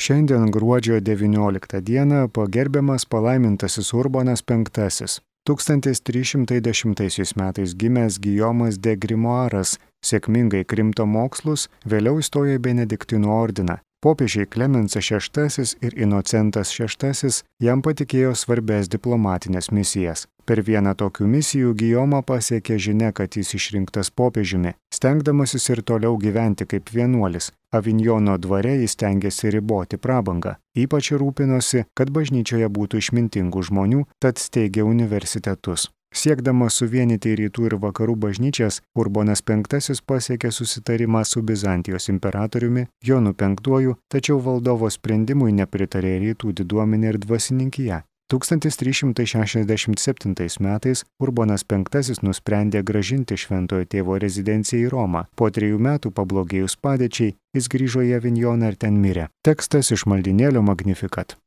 Šiandien gruodžio 19 dieną pagerbiamas palaimintasis Urbonas V. 1310 metais gimęs Gijomas de Grimoaras sėkmingai krimto mokslus, vėliau įstojo į Benediktinų ordiną. Popiežiai Klemensas VI ir Inocentas VI jam patikėjo svarbes diplomatinės misijas. Per vieną tokių misijų Gijomą pasiekė žinia, kad jis išrinktas popiežiumi. Stengdamasis ir toliau gyventi kaip vienuolis, Avinjono dvare jis stengėsi riboti prabangą. Ypač rūpinosi, kad bažnyčioje būtų išmintingų žmonių, tad steigė universitetus. Siekdamas suvienyti rytų ir vakarų bažnyčias, Urbonas V pasiekė susitarimą su Bizantijos imperatoriumi Jonu V, tačiau valdovo sprendimui nepritarė rytų diduomenė ir dvasininkija. 1367 metais Urbonas V nusprendė grąžinti šventojo tėvo rezidenciją į Romą. Po 3 metų pablogėjus padėčiai, jis grįžo į Avinjoną ir ten mirė. Tekstas iš maldynėlio Magnificat.